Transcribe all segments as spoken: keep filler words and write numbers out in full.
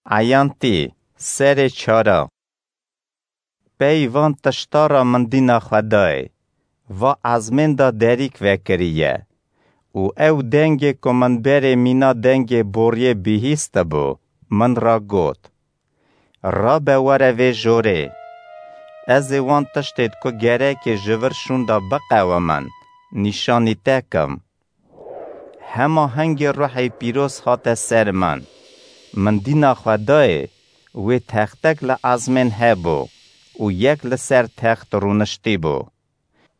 Eyantî, serê çara. Pey van tişta ra min dîna Xwedayê, va ezmên de derîk vekiriye. Û ew dengê ku min berê mîna dengê boriyê bihîstibû, min ra got: Rabe were vê jorê. Ez ê wan tiştêd ku gerekê ji vir şûnda biqewimin, nîşanî te kim. Hema hingê Ruhê Pîroz hate ser min. Min dîna Xwedayê, wê textek li ezmên hebû û yek li ser text rûniştî bû.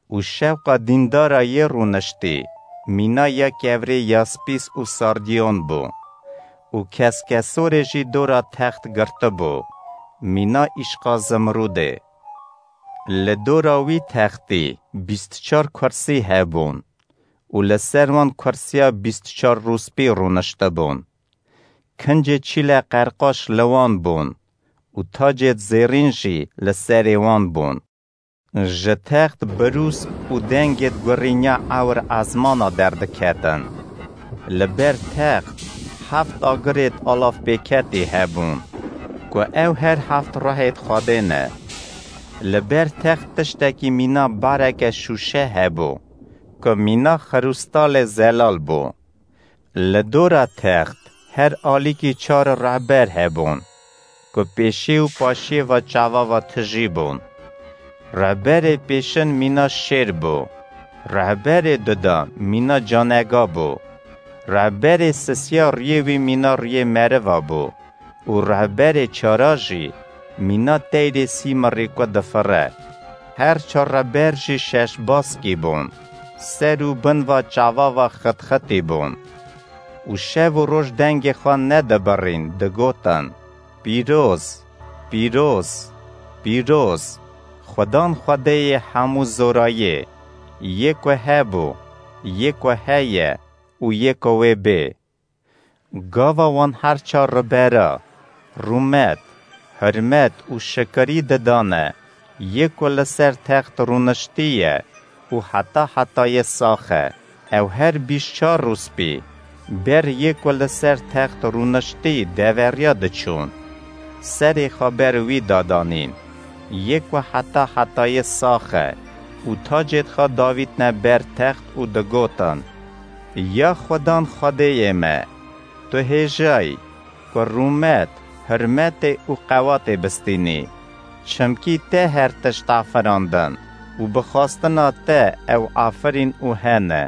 Û şewqa dîndara yê rûniştî, mîna ya kevrê yaspîs û sardiyon bû. Û keskesorê jî dora text girtibû, mîna îşqa zimrûdê. Li dora wî textî bîst çar kursî hebûn û li ser wan kursiya bîst çar rûspî rûniştibûn. Kincê çîle qerqaş li wan bûn û tacêd zêrîn jî li serê wan bûn. Ji text birûs û dengêd gurînya ewr ezmana derdiketin. Li ber text heft agirêd alavpêketî hebûn, ku ew her heft ruhêd Xwedê ne. Li ber text tiştekî mîna bareke şûşe hebû, ku mîna xirûstalê zelal bû. Li dora text her alîkî çar rehber hebûn, ku pêşî û paşiyê ve çava ve tijî bûn. Rehberê pêşin mîna şêr bû, rehberê duda mîna canega bû, rehberê sisiya riyê wî mîna riyê meriva bû û rehberê çara jî mîna teyrê sîmirî ku difire. Her çar rehber jî şeş baskî bûn, ser û bin va çava va xitxitî bûn. Û şev û roj dengê xwe nedibirîn, digotin: Pîroz, pîroz, pîroz, Xudan Xwedêyê hemû zorayê, yê ku hebû, yê ku heye û yê ku wê bê. Gava wan her çar ribera, rûmet, hurmet û şikirî didane, yê ku li ser text rûniştî ye û heta hetayê sax e. Ew her bîst çar rûspî, ber yê ku li ser text rûniştî deveriya diçûn. Serê xwe ber wî dadanîn, yê ku heta hetayê sax e û tacêd xwe davîtne ber text û digotin: Ya Xudan Xwedêyê me, tu hêjayî ku rûmet, hurmetê û qewatê bistînî. Çimkî te her tişt afirandin û bi xwestina te ew afirîn û hene.